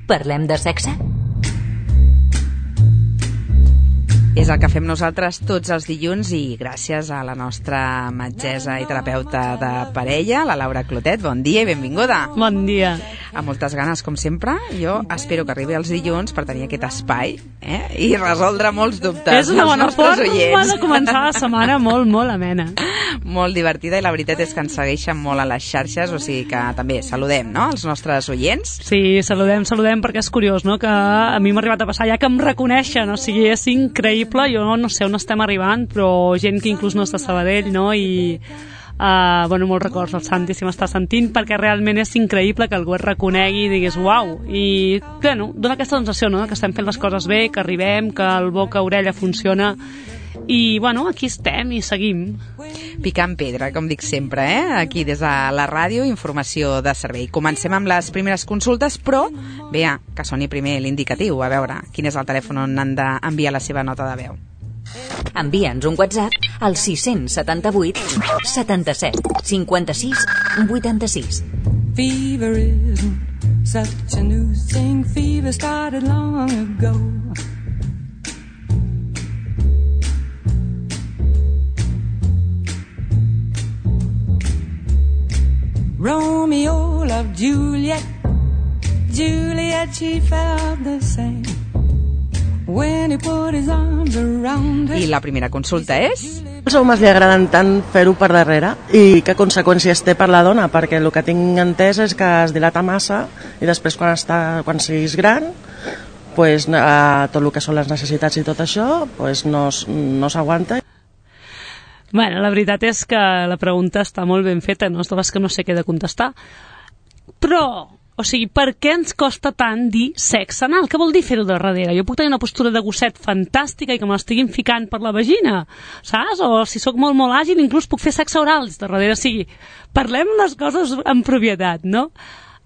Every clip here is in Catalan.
Parlem de sexe? És el que fem nosaltres tots els dilluns i gràcies a la nostra metgessa i terapeuta de parella, la Laura Clotet. Bon dia i benvinguda. Bon dia. Amb moltes ganes, com sempre. Jo espero que arribi els dilluns per tenir aquest espai i resoldre molts dubtes. És una bona forma de començar la setmana molt amena. Molt divertida i la veritat és que ens segueixen molt a les xarxes, o sigui que també saludem, no?, els nostres oients. Sí, saludem perquè és curiós, no?, que a mi m'ha arribat a passar ja que em reconeixen, o sigui, és increïble, jo no sé on estem arribant, però gent que inclús no és de Sabadell, no?, i molts records al Santi si m'està sentint, perquè realment és increïble que algú et reconegui i diguis uau, i dona aquesta sensació, no?, que estem fent les coses bé, que arribem, que el boca-orella funciona, i aquí estem i seguim. Picant pedra, com dic sempre, aquí des de la ràdio, informació de servei. Comencem amb les primeres consultes, però que soni primer l'indicatiu, a veure quin és el telèfon on han d'enviar la seva nota de veu. Envia'ns un WhatsApp al 678 77 56 86. Fever isn't such a new thing. Fever started long ago. Romeo loved Juliet. Juliet, she felt the same. When he put his arms around her. I la primera consulta és? Els homes li agraden tant fer-ho per darrere i què conseqüències té per la dona, perquè el que tinc entès és que es dilata massa i després quan siguis gran tot el que són les necessitats i tot això no s'aguanta. Bueno, la veritat és que la pregunta està molt ben feta, no és de les que no sé què de contestar, però o sigui, per què ens costa tant dir sexe anal? Què vol dir fer-ho de darrere? Jo puc tenir una postura de gosset fantàstica i que me l'estiguin ficant per la vagina, saps? O si sóc molt àgil, inclús puc fer sexe oral de darrere. O sigui, parlem les coses en propietat, no?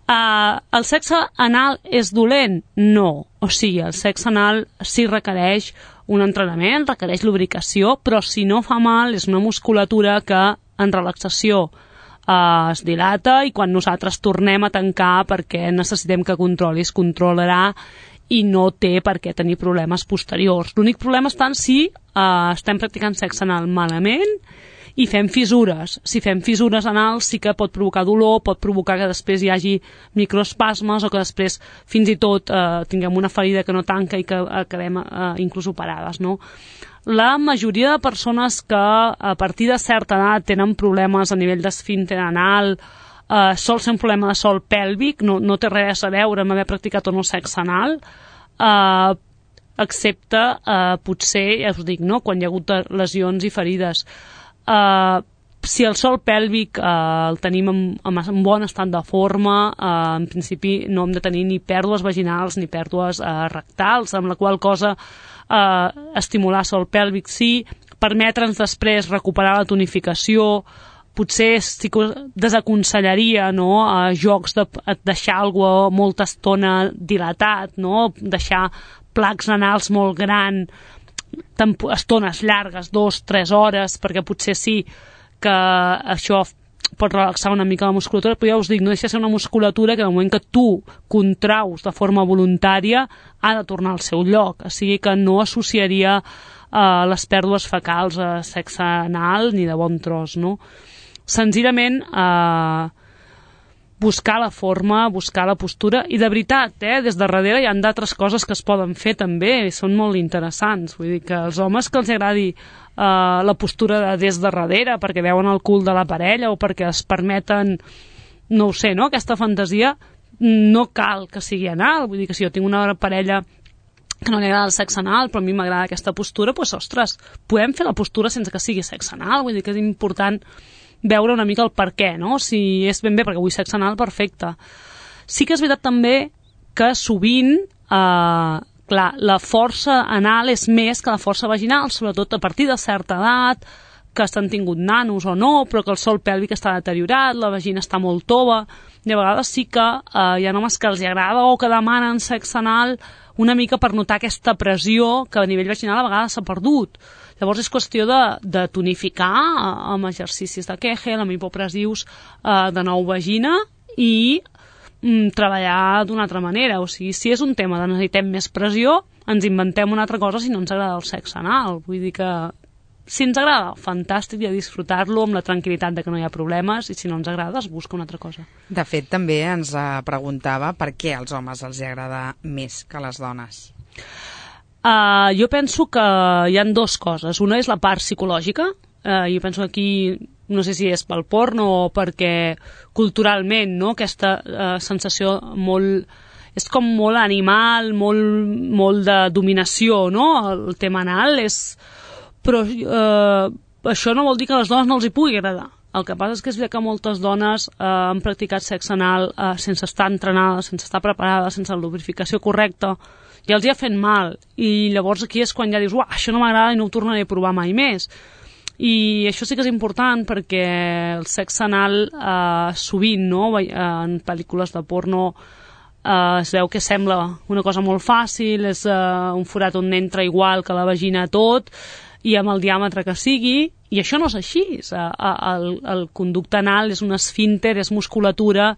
El sexe anal és dolent? No. O sigui, el sexe anal sí requereix un entrenament, requereix lubricació, però si no fa mal és una musculatura que en relaxació es dilata i quan nosaltres tornem a tancar perquè necessitem que controli, es controlarà i no té per què tenir problemes posteriors. L'únic problema està en si estem practicant sexe anal malament i fem fissures. Si fem fissures anals sí que pot provocar dolor, pot provocar que després hi hagi microespasmes o que després fins i tot tinguem una ferida que no tanca i que acabem inclús operades, no? La majoria de persones que a partir de certa edat tenen problemes a nivell d'esfínter anal sol ser un problema de sòl pèlvic, no té res a veure amb haver practicat o no sexe anal, excepte potser, ja us dic, no?, quan hi ha hagut lesions i ferides. Si el sòl pèlvic el tenim en bon estat de forma, en principi no hem de tenir ni pèrdues vaginals ni pèrdues rectals, amb la qual cosa estimular sòl pèlvic sí, permetre'ns després recuperar la tonificació, potser sí que desaconsellaria, no?, jocs de deixar algú molta estona dilatat, no?, deixar placs anals molt gran, estones llargues, 2-3 hores, perquè potser sí que això pot relaxar una mica la musculatura, però ja us dic, no deixa de ser una musculatura que en el moment que tu contraus de forma voluntària ha de tornar al seu lloc, o sigui que no associaria les pèrdues fecals a sexe anal ni de bon tros, no? Senzillament buscar la forma, buscar la postura, i de veritat, des de darrere hi ha d'altres coses que es poden fer també, i són molt interessants, vull dir que els homes que els agradi la postura des de darrere perquè veuen el cul de la parella o perquè es permeten, no ho sé, no?, aquesta fantasia, no cal que sigui anal, vull dir que si jo tinc una parella que no li agrada el sexe anal però a mi m'agrada aquesta postura, doncs ostres, podem fer la postura sense que sigui sexe anal, vull dir que és important veure una mica el per què, no? Si és ben bé perquè vull sexe anal, perfecte. Sí que és veritat també que sovint clar, la força anal és més que la força vaginal, sobretot a partir de certa edat, que s'han tingut nanos o no, però que el sòl pèlvic està deteriorat, la vagina està molt tova, i a vegades sí que hi ha homes que els agrada o que demanen sexe anal una mica per notar aquesta pressió que a nivell vaginal a vegades s'ha perdut. Llavors és qüestió de tonificar amb exercicis de Kegel, amb hipopressius de nou vagina i treballar d'una altra manera. O sigui, si és un tema de necessitem més pressió, ens inventem una altra cosa si no ens agrada el sexe anal. Vull dir que si ens agrada, fantàstic, i a disfrutar-lo amb la tranquil·litat de que no hi ha problemes, i si no ens agrada, es busca una altra cosa. De fet, també ens preguntava per què als homes els agrada més que a les dones. Jo penso que hi ha dues coses. Una és la part psicològica. Jo penso que aquí, no sé si és pel porno o perquè culturalment, no? Aquesta sensació molt... és com molt animal, molt de dominació, no? El tema anal és... Però això no vol dir que a les dones no els hi pugui agradar. El que passa és que és veritat que moltes dones han practicat sexe anal sense estar entrenades, sense estar preparades, sense la lubrificació correcta, i els hi ha fet mal. I llavors aquí és quan ja dius, això no m'agrada i no ho tornaré a provar mai més. I això sí que és important perquè el sexe anal sovint, no? En pel·lícules de porno es veu que sembla una cosa molt fàcil, és un forat on entra igual que la vagina tot, i amb el diàmetre que sigui, i això no és així. El conducte anal és un esfínter, és musculatura,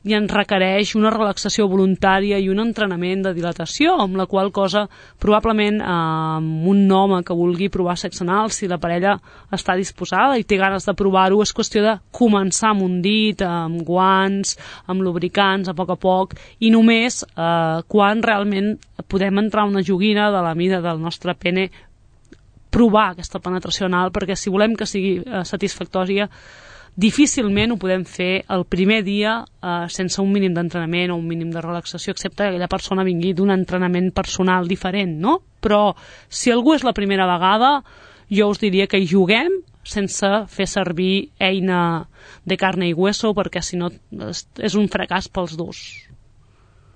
i ens requereix una relaxació voluntària i un entrenament de dilatació, amb la qual cosa probablement un home que vulgui provar sexe anal, si la parella està disposada i té ganes de provar-ho, és qüestió de començar amb un dit, amb guants, amb lubricants, a poc, i només quan realment podem entrar una joguina de la mida del nostre pene, provar aquesta penetració anal, perquè si volem que sigui satisfactòria, difícilment ho podem fer el primer dia sense un mínim d'entrenament o un mínim de relaxació, excepte que aquella persona vingui d'un entrenament personal diferent, no? Però si algú és la primera vegada, jo us diria que hi juguem sense fer servir eina de carne i hueso, perquè si no és un fracàs pels dos.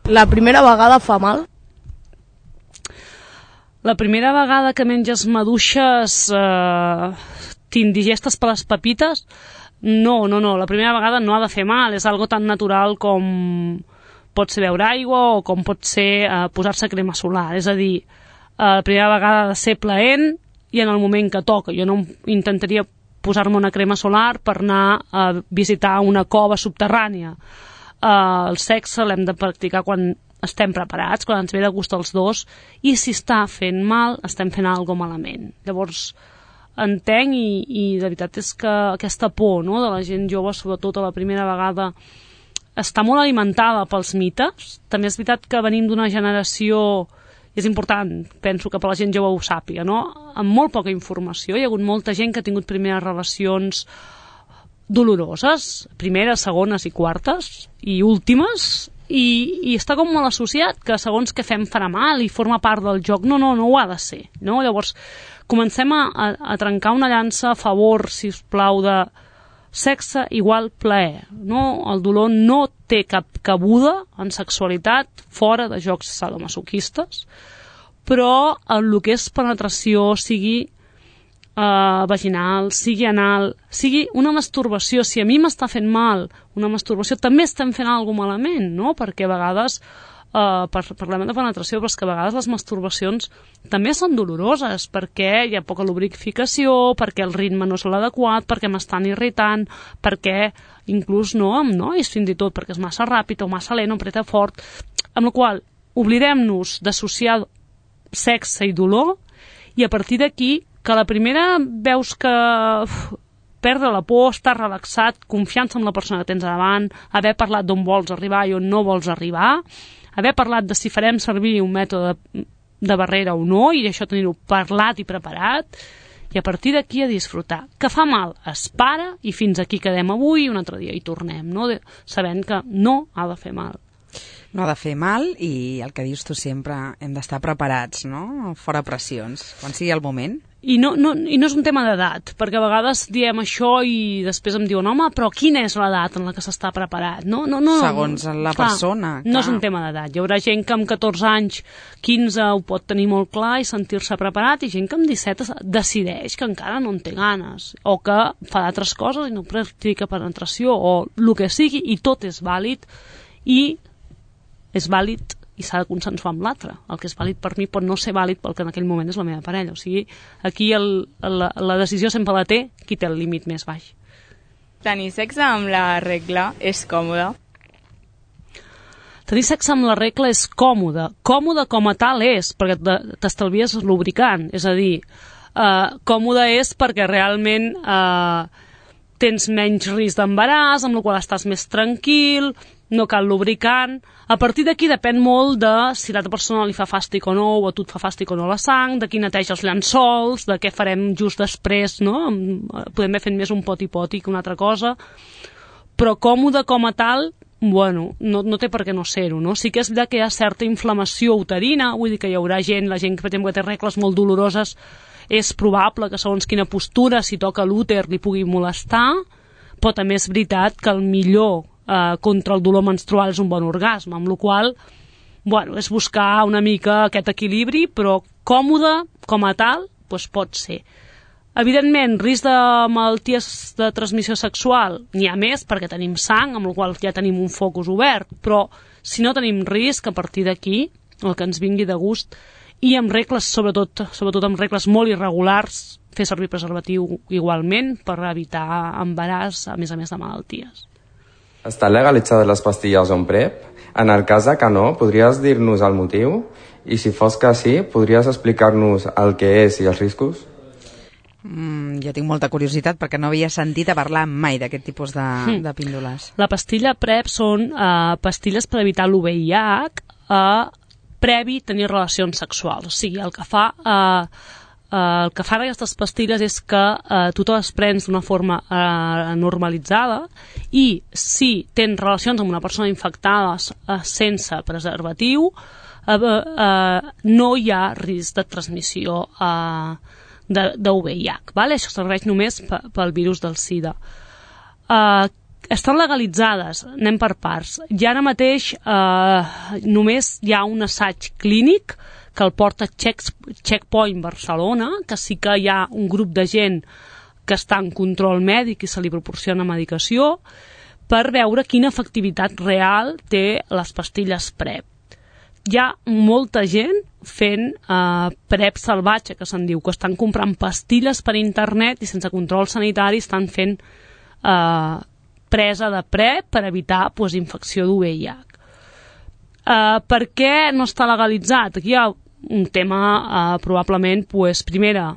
La primera vegada fa mal? La primera vegada que menges maduixes t'indigestes per les pepites, no, la primera vegada no ha de fer mal, és algo tan natural com pot ser beure aigua o com pot ser posar-se crema solar, és a dir, la primera vegada ha de ser plaent i en el moment que toca. Jo no intentaria posar-me una crema solar per anar a visitar una cova subterrània. El sexe l'hem de practicar quan estem preparats, quan ens ve de gust els dos, i si està fent mal, estem fent alguna cosa malament. Llavors, entenc i de veritat és que aquesta por, no?, de la gent jove, sobretot a la primera vegada, està molt alimentada pels mites. També és veritat que venim d'una generació, és important, penso que per la gent jove ho sàpiga, no?, amb molt poca informació. Hi ha hagut molta gent que ha tingut primeres relacions doloroses, primeres, segones i quartes, i últimes, i està com molt associat que segons que fem farà mal i forma part del joc. No ho ha de ser, no? Llavors comencem a trencar una llança a favor, si us plau, de sexe igual plaer, no? El dolor no té cap cabuda en sexualitat fora de jocs sadomasoquistes, però el que és penetració, sigui vaginal, sigui anal, sigui una masturbació, si a mi m'està fent mal una masturbació, també estem fent alguna malament, no? Perquè a vegades parlem de penetració, però és que a vegades les masturbacions també són doloroses, perquè hi ha poca lubrificació, perquè el ritme no és l'adequat, perquè m'estan irritant, perquè inclús amb nois fins i tot, perquè és massa ràpid o massa lent o apreta fort, amb la qual oblidem-nos d'associar sexe i dolor, i a partir d'aquí que la primera veus que perdre la por, estar relaxat, confiança en la persona que tens davant, haver parlat d'on vols arribar i on no vols arribar, haver parlat de si farem servir un mètode de barrera o no, i això tenir-ho parlat i preparat, i a partir d'aquí a disfrutar. Que fa mal, es para, i fins aquí quedem avui, un altre dia hi tornem, no? Sabent que no ha de fer mal. No ha de fer mal, i el que dius tu sempre, hem d'estar preparats, no? Fora pressions, quan sigui el moment. I no és un tema d'edat, perquè a vegades diem això i després em diuen, home, però quina és l'edat en la que s'està preparat? No, segons la persona. No és un tema d'edat. Hi haurà gent que amb 14 anys, 15 ho pot tenir molt clar i sentir-se preparat, i gent que amb 17 decideix que encara no en té ganes, o que fa d'altres coses i no practica penetració, o el que sigui, i tot és vàlid, i és vàlid i s'ha de consensuar amb l'altre. El que és vàlid per mi pot no ser vàlid pel que en aquell moment és la meva parella. O sigui, aquí la decisió sempre la té qui té el límit més baix. Tenir sexe amb la regla és còmode? tenir sexe amb la regla és còmode. Còmode com a tal és, perquè t'estalvies lubricant. És a dir, còmode és perquè realment tens menys risc d'embaràs, amb la qual estàs més tranquil, no cal lubricant. A partir d'aquí depèn molt de si l'altra persona li fa fàstic o no, o a tu et fa fàstic o no la sang, de qui neteja els llençols, de què farem just després, no? Podem haver fet més un poti-poti que una altra cosa, però còmode com a tal, bueno, no té per què no ser-ho, no? Sí que és veritat que hi ha certa inflamació uterina, vull dir que hi haurà gent, la gent que té regles molt doloroses, és probable que segons quina postura, si toca l'úter, li pugui molestar, però també és veritat que el millor contra el dolor menstrual és un bon orgasme, amb la qual cosa, és buscar una mica aquest equilibri, però còmode com a tal, doncs pot ser. Evidentment, risc de malalties de transmissió sexual n'hi ha més perquè tenim sang, amb la qual ja tenim un focus obert, però si no tenim risc, a partir d'aquí, el que ens vingui de gust, i amb regles, sobretot amb regles molt irregulars, fer servir preservatiu igualment per evitar embaràs, a més de malalties. Estan legalitzades les pastilles on PrEP? En el cas que no, podries dir-nos el motiu? I si fos que sí, podries explicar-nos el que és i els riscos? Jo tinc molta curiositat perquè no havia sentit a parlar mai d'aquest tipus de píndoles. La pastilla PrEP són pastilles per evitar l'UVIH previ tenir relacions sexuals. O sigui, el que fan aquestes pastilles és que tu te les prens d'una forma normalitzada i si tens relacions amb una persona infectada sense preservatiu, no hi ha risc de transmissió de VIH. Això serveix només pel virus del SIDA. Estan legalitzades, anem per parts. I ara mateix només hi ha un assaig clínic que el porta Checkpoint Barcelona, que sí que hi ha un grup de gent que està en control mèdic i se li proporciona medicació per veure quina efectivitat real té les pastilles PrEP. Hi ha molta gent fent PrEP salvatge, que se'n diu, que estan comprant pastilles per internet i sense control sanitari estan fent presa de PrEP per evitar infecció d'UVIH. Per què no està legalitzat? Aquí hi ha un tema probablement, primera,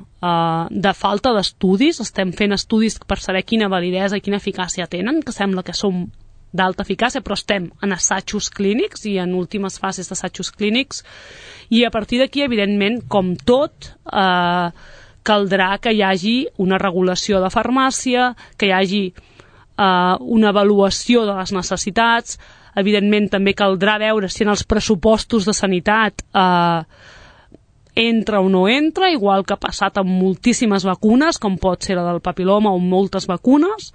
de falta d'estudis. Estem fent estudis per saber quina validesa i quina eficàcia tenen, que sembla que som d'alta eficàcia, però estem en assajos clínics i en últimes fases d'assajos clínics, i a partir d'aquí, evidentment, com tot, caldrà que hi hagi una regulació de farmàcia, que hi hagi una avaluació de les necessitats. Evidentment també caldrà veure si en els pressupostos de sanitat entra o no entra, igual que ha passat amb moltíssimes vacunes, com pot ser la del papiloma o moltes vacunes.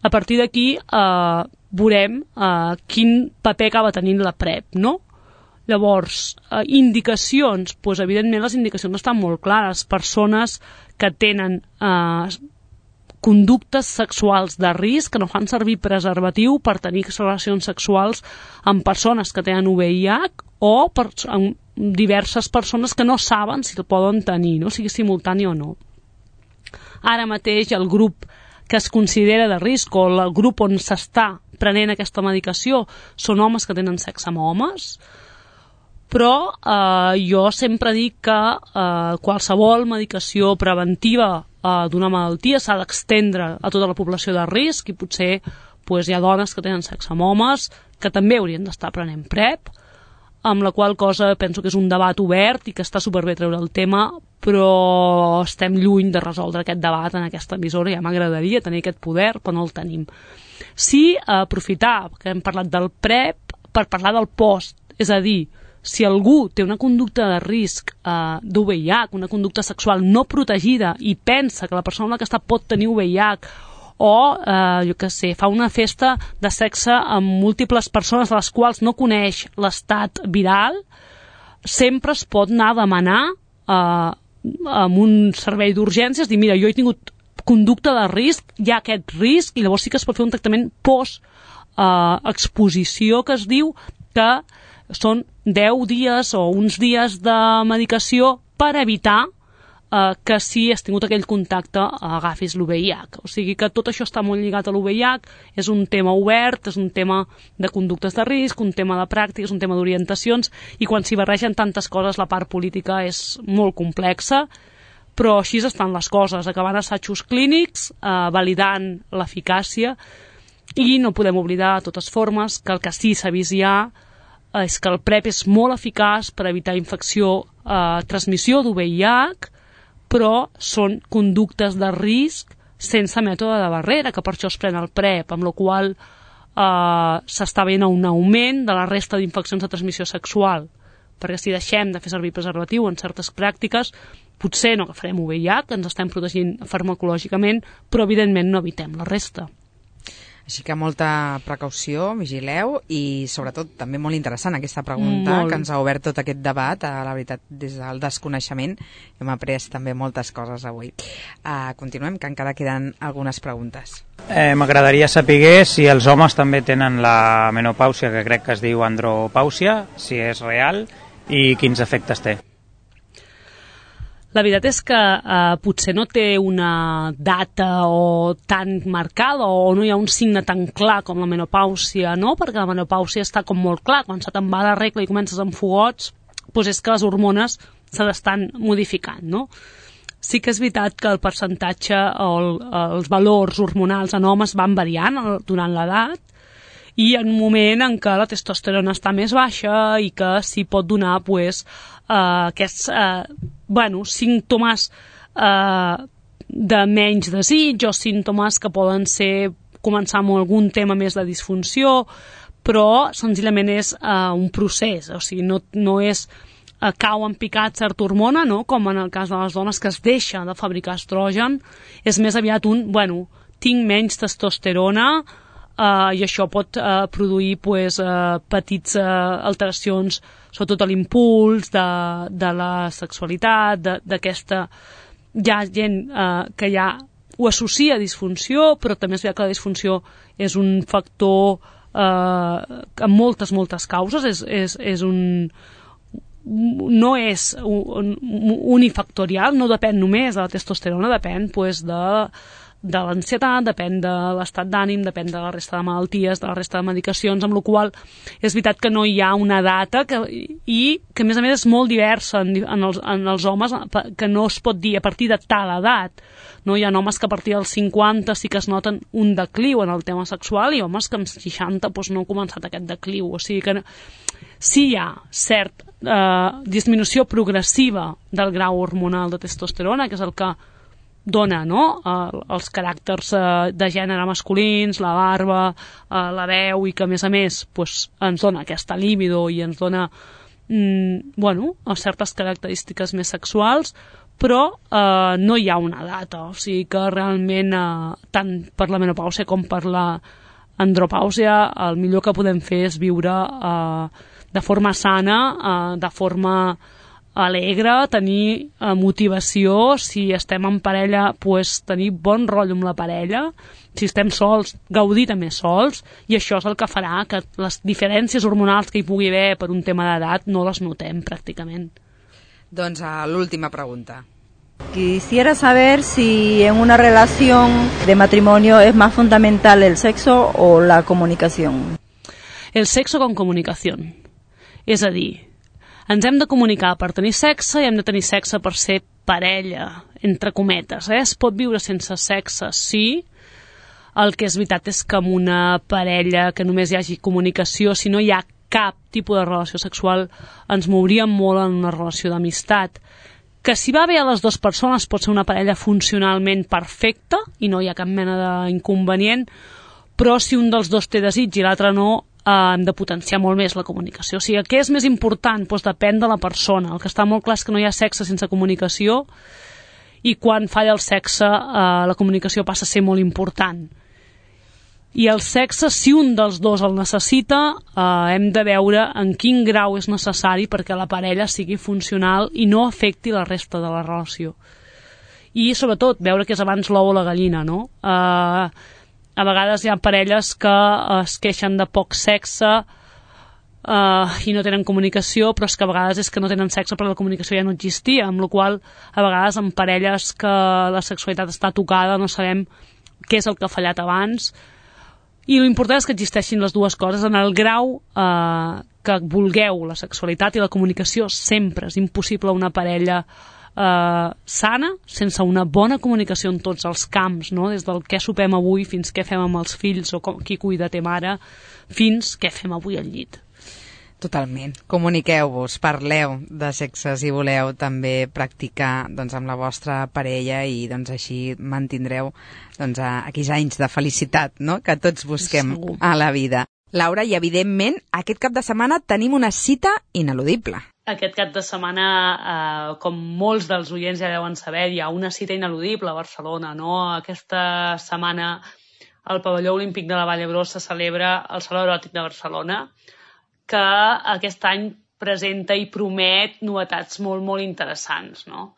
A partir d'aquí veurem quin paper acaba tenint la PrEP, no? Llavors, indicacions, evidentment les indicacions estan molt clares. Persones que tenen conductes sexuals de risc, que no fan servir preservatiu per tenir relacions sexuals amb persones que tenen VIH o amb diverses persones que no saben si el poden tenir, no? Sigui simultani o no. Ara mateix el grup que es considera de risc o el grup on s'està prenent aquesta medicació són homes que tenen sexe amb homes, però jo sempre dic que qualsevol medicació preventiva d'una malaltia s'ha d'extendre a tota la població de risc i potser hi ha dones que tenen sexe amb homes que també haurien d'estar prenent PrEP, amb la qual cosa penso que és un debat obert i que està superbé treure el tema, però estem lluny de resoldre aquest debat en aquesta emissora. Ja m'agradaria tenir aquest poder, però no el tenim. Sí, aprofitar que hem parlat del PrEP per parlar del post, és a dir, si algú té una conducta de risc d'UVIH, una conducta sexual no protegida i pensa que la persona amb la que està pot tenir VIH o, fa una festa de sexe amb múltiples persones de les quals no coneix l'estat viral, sempre es pot anar a demanar amb un servei d'urgències, dir, mira, jo he tingut conducta de risc, hi ha aquest risc, i llavors sí que es pot fer un tractament post-exposició, que es diu que són 10 dies o uns dies de medicació per evitar que si has tingut aquell contacte agafis l'UVIH. O sigui que tot això està molt lligat a l'UVIH, és un tema obert, és un tema de conductes de risc, un tema de pràctiques, un tema d'orientacions, i quan s'hi barregen tantes coses la part política és molt complexa, però així estan les coses, acabant assajos clínics, validant l'eficàcia, i no podem oblidar de totes formes que el que sí s'ha vist ja és que el PrEP és molt eficaç per evitar infecció, transmissió d'UVIH, però són conductes de risc sense mètode de barrera, que per això es pren el PrEP, amb la qual s'està veient un augment de la resta d'infeccions de transmissió sexual, perquè si deixem de fer servir preservatiu en certes pràctiques, potser no agafarem UVIH, ens estem protegint farmacològicament, però evidentment no evitem la resta. Així que molta precaució, vigileu, i sobretot també molt interessant aquesta pregunta que ens ha obert tot aquest debat, la veritat, des del desconeixement. Hem après també moltes coses avui. Continuem, que encara queden algunes preguntes. M'agradaria saber si els homes també tenen la menopàusia, que crec que es diu andropàusia, si és real i quins efectes té. La veritat és que potser no té una data o tan marcada o no hi ha un signe tan clar com la menopàusia, no? Perquè la menopàusia està com molt clar. Quan se te'n va la regla i comences amb fogots, doncs és que les hormones se l'estan modificant, no? Sí que és veritat que el percentatge o els valors hormonals en homes van variant durant l'edat, i en un moment en què la testosterona està més baixa i que s'hi pot donar aquests símptomes de menys desig o símptomes que poden ser començar amb algun tema més de disfunció, però senzillament és un procés, o sigui, no és cau en picat certa hormona, no? Com en el cas de les dones que es deixa de fabricar estrogen, és més aviat tinc menys testosterona, i això pot produir petites alteracions, sobretot a l'impuls de la sexualitat, d'aquesta... Hi ha gent que ja ho associa a disfunció, però també és veritat que la disfunció és un factor amb moltes causes, no és unifactorial, no depèn només de la testosterona, depèn de l'ansietat, depèn de l'estat d'ànim, depèn de la resta de malalties, de la resta de medicacions, amb la qual és veritat que no hi ha una data i que a més és molt diversa en els homes, que no es pot dir a partir de tal edat. No? Hi ha homes que a partir dels 50 sí que es noten un decliu en el tema sexual i homes que amb 60 no han començat aquest decliu. O sigui que sí hi ha certa disminució progressiva del grau hormonal de testosterona, que és el que dona, no? Els caràcters de gènere masculins, la barba, la veu, i que a més ens dona aquesta líbido i ens dona certes característiques més sexuals, però no hi ha una data, o sigui que realment tant per la menopàusia com per la andropàusia el millor que podem fer és viure de forma sana, de forma alegre, tenir motivació, si estem en parella, tenir bon rotllo amb la parella, si estem sols, gaudir també sols, i això és el que farà que les diferències hormonals que hi pugui haver per un tema d'edat no les notem pràcticament. Doncs l'última pregunta. Quisiera saber si en una relación de matrimonio es más fundamental el sexo o la comunicación. El sexo con comunicación. És a dir, ens hem de comunicar per tenir sexe i hem de tenir sexe per ser parella, entre cometes. Es pot viure sense sexe, sí. El que és veritat és que en una parella que només hi hagi comunicació, si no hi ha cap tipus de relació sexual, ens mouríem molt en una relació d'amistat. Que si va bé a les dues persones pot ser una parella funcionalment perfecta i no hi ha cap mena d'inconvenient, però si un dels dos té desig i l'altre no, hem de potenciar molt més la comunicació. O sigui, què és més important? Doncs depèn de la persona. El que està molt clar és que no hi ha sexe sense comunicació, i quan falla el sexe la comunicació passa a ser molt important. I el sexe, si un dels dos el necessita, hem de veure en quin grau és necessari perquè la parella sigui funcional i no afecti la resta de la relació. I sobretot veure què és abans l'ou o la gallina, no? A vegades hi ha parelles que es queixen de poc sexe i no tenen comunicació, però és que a vegades és que no tenen sexe perquè la comunicació ja no existia, amb la qual a vegades en parelles que la sexualitat està tocada no sabem què és el que ha fallat abans, i l'important és que existeixin les dues coses en el grau que vulgueu. La sexualitat i la comunicació sempre. És impossible una parella sana sense una bona comunicació en tots els camps, no? Des del què sopem avui fins què fem amb els fills o qui cuida té mare, fins què fem avui al llit. Totalment. Comuniqueu-vos, parleu de sexe si voleu també practicar amb la vostra parella i així mantindreu aquells anys de felicitat, no?, que tots busquem a la vida. Laura, i evidentment aquest cap de setmana tenim una cita ineludible. Aquest cap de setmana, com molts dels oients ja deuen saber, hi ha una cita ineludible a Barcelona, no? Aquesta setmana al Pavelló Olímpic de la Vall d'Hebron se celebra el Saló Eròtic de Barcelona, que aquest any presenta i promet novetats molt, molt interessants, no?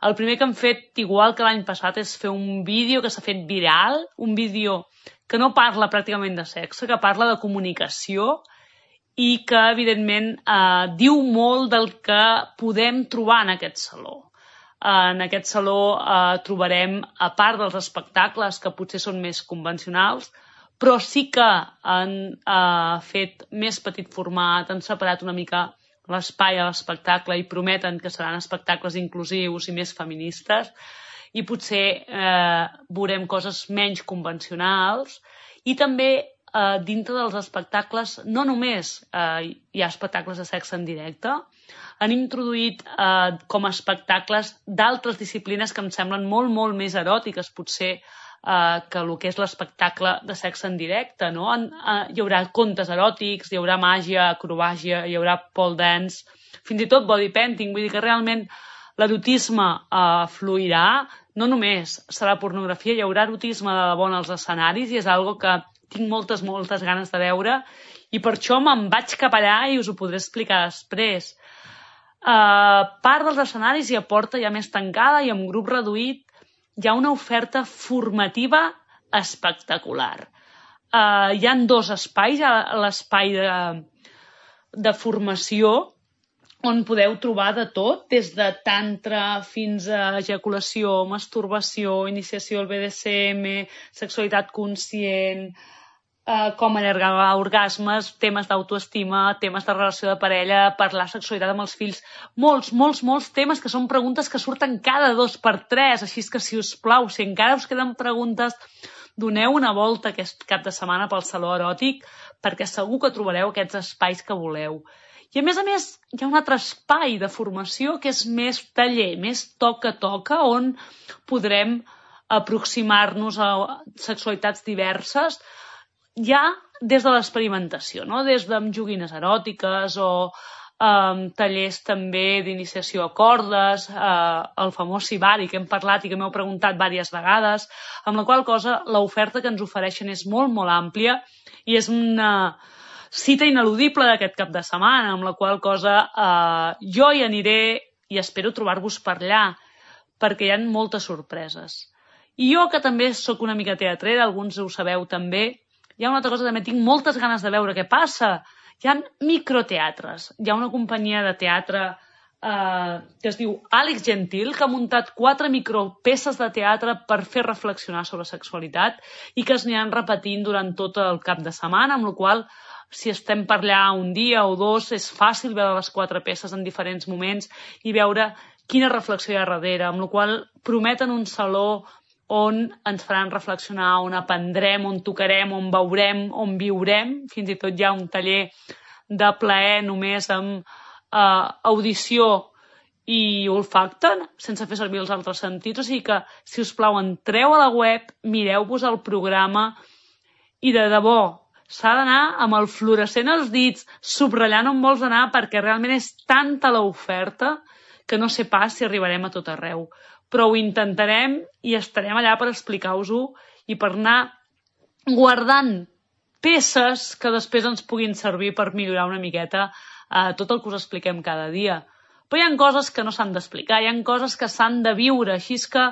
El primer que hem fet, igual que l'any passat, és fer un vídeo que s'ha fet viral, un vídeo que no parla pràcticament de sexe, que parla de comunicació i que, evidentment, diu molt del que podem trobar en aquest saló. En aquest saló trobarem, a part dels espectacles, que potser són més convencionals, però sí que han fet més petit format, han separat una mica l'espai a l'espectacle i prometen que seran espectacles inclusius i més feministes, i potser veurem coses menys convencionals, i també dintre dels espectacles no només hi ha espectacles de sexe en directe, han introduït com a espectacles d'altres disciplines que em semblen molt, molt més eròtiques, potser, que el que és l'espectacle de sexe en directe, no? Hi haurà contes eròtics, hi haurà màgia, acrobàgia, hi haurà pole dance, fins i tot body painting, vull dir que realment l'erotisme fluirà, no només serà pornografia, hi haurà erotisme de debò en els escenaris i és algo que tinc moltes, moltes ganes de veure i per això me'n vaig cap allà i us ho podré explicar després. Part dels escenaris i a porta ja més tancada i amb grup reduït hi ha una oferta formativa espectacular. Hi ha dos espais, l'espai de formació, on podeu trobar de tot, des de tantra fins a ejaculació, masturbació, iniciació al BDSM, sexualitat conscient, com allargar orgasmes, temes d'autoestima, temes de relació de parella, parlar sexualitat amb els fills, molts temes que són preguntes que surten cada 2x3, així que si us plau, si encara us queden preguntes, doneu una volta aquest cap de setmana pel Saló Eròtic, perquè segur que trobareu aquests espais que voleu. I a més, hi ha un altre espai de formació que és més taller, més toca, on podrem aproximar-nos a sexualitats diverses, ja des de l'experimentació, no? Des de joguines eròtiques o tallers també d'iniciació a cordes, el famós Sibari que hem parlat i que m'heu preguntat diverses vegades, amb la qual cosa l'oferta que ens ofereixen és molt, molt àmplia i és una cita ineludible d'aquest cap de setmana, amb la qual cosa jo hi aniré i espero trobar-vos per allà, perquè hi ha moltes sorpreses. I jo, que també sóc una mica teatrera, alguns ho sabeu també, hi ha una altra cosa, també tinc moltes ganes de veure què passa. Hi ha microteatres. Hi ha una companyia de teatre que es diu Àlex Gentil, que ha muntat 4 micropeces de teatre per fer reflexionar sobre sexualitat i que es aniran repetint durant tot el cap de setmana, amb la qual cosa, si estem per allà un dia o dos, és fàcil veure les 4 peces en diferents moments i veure quina reflexió hi ha darrere, amb la qual cosa prometen un saló on ens faran reflexionar, on aprendrem, on tocarem, on veurem, on viurem. Fins i tot hi ha un taller de plaer només amb audició i olfacte, sense fer servir els altres sentits. O sigui que, si us plau, entreu a la web, mireu-vos el programa i de debò, s'ha d'anar amb el fluorescent als dits, subratllant on vols anar, perquè realment és tanta l'oferta que no sé pas si arribarem a tot arreu. Però ho intentarem i estarem allà per explicar-vos-ho i per anar guardant peces que després ens puguin servir per millorar una miqueta tot el que us expliquem cada dia. Però hi ha coses que no s'han d'explicar, hi ha coses que s'han de viure, així que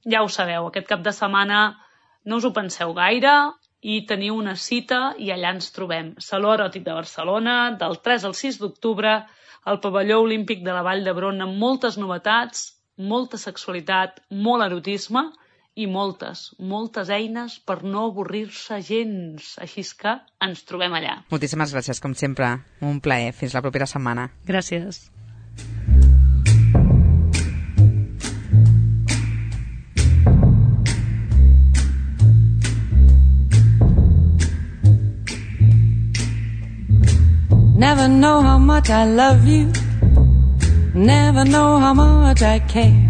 ja ho sabeu, aquest cap de setmana no us ho penseu gaire, i teniu una cita i allà ens trobem. Saló Eròtic de Barcelona, del 3 al 6 d'octubre, al pavelló olímpic de la Vall d'Hebron, amb moltes novetats, molta sexualitat, molt erotisme i moltes eines per no avorrir-se gens. Així que ens trobem allà. Moltíssimes gràcies, com sempre. Un plaer. Fins la propera setmana. Gràcies. Never know how much I love you. Never know how much I care.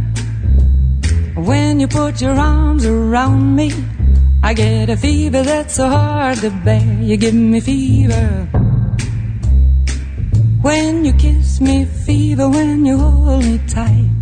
When you put your arms around me, I get a fever that's so hard to bear. You give me fever when you kiss me, fever when you hold me tight.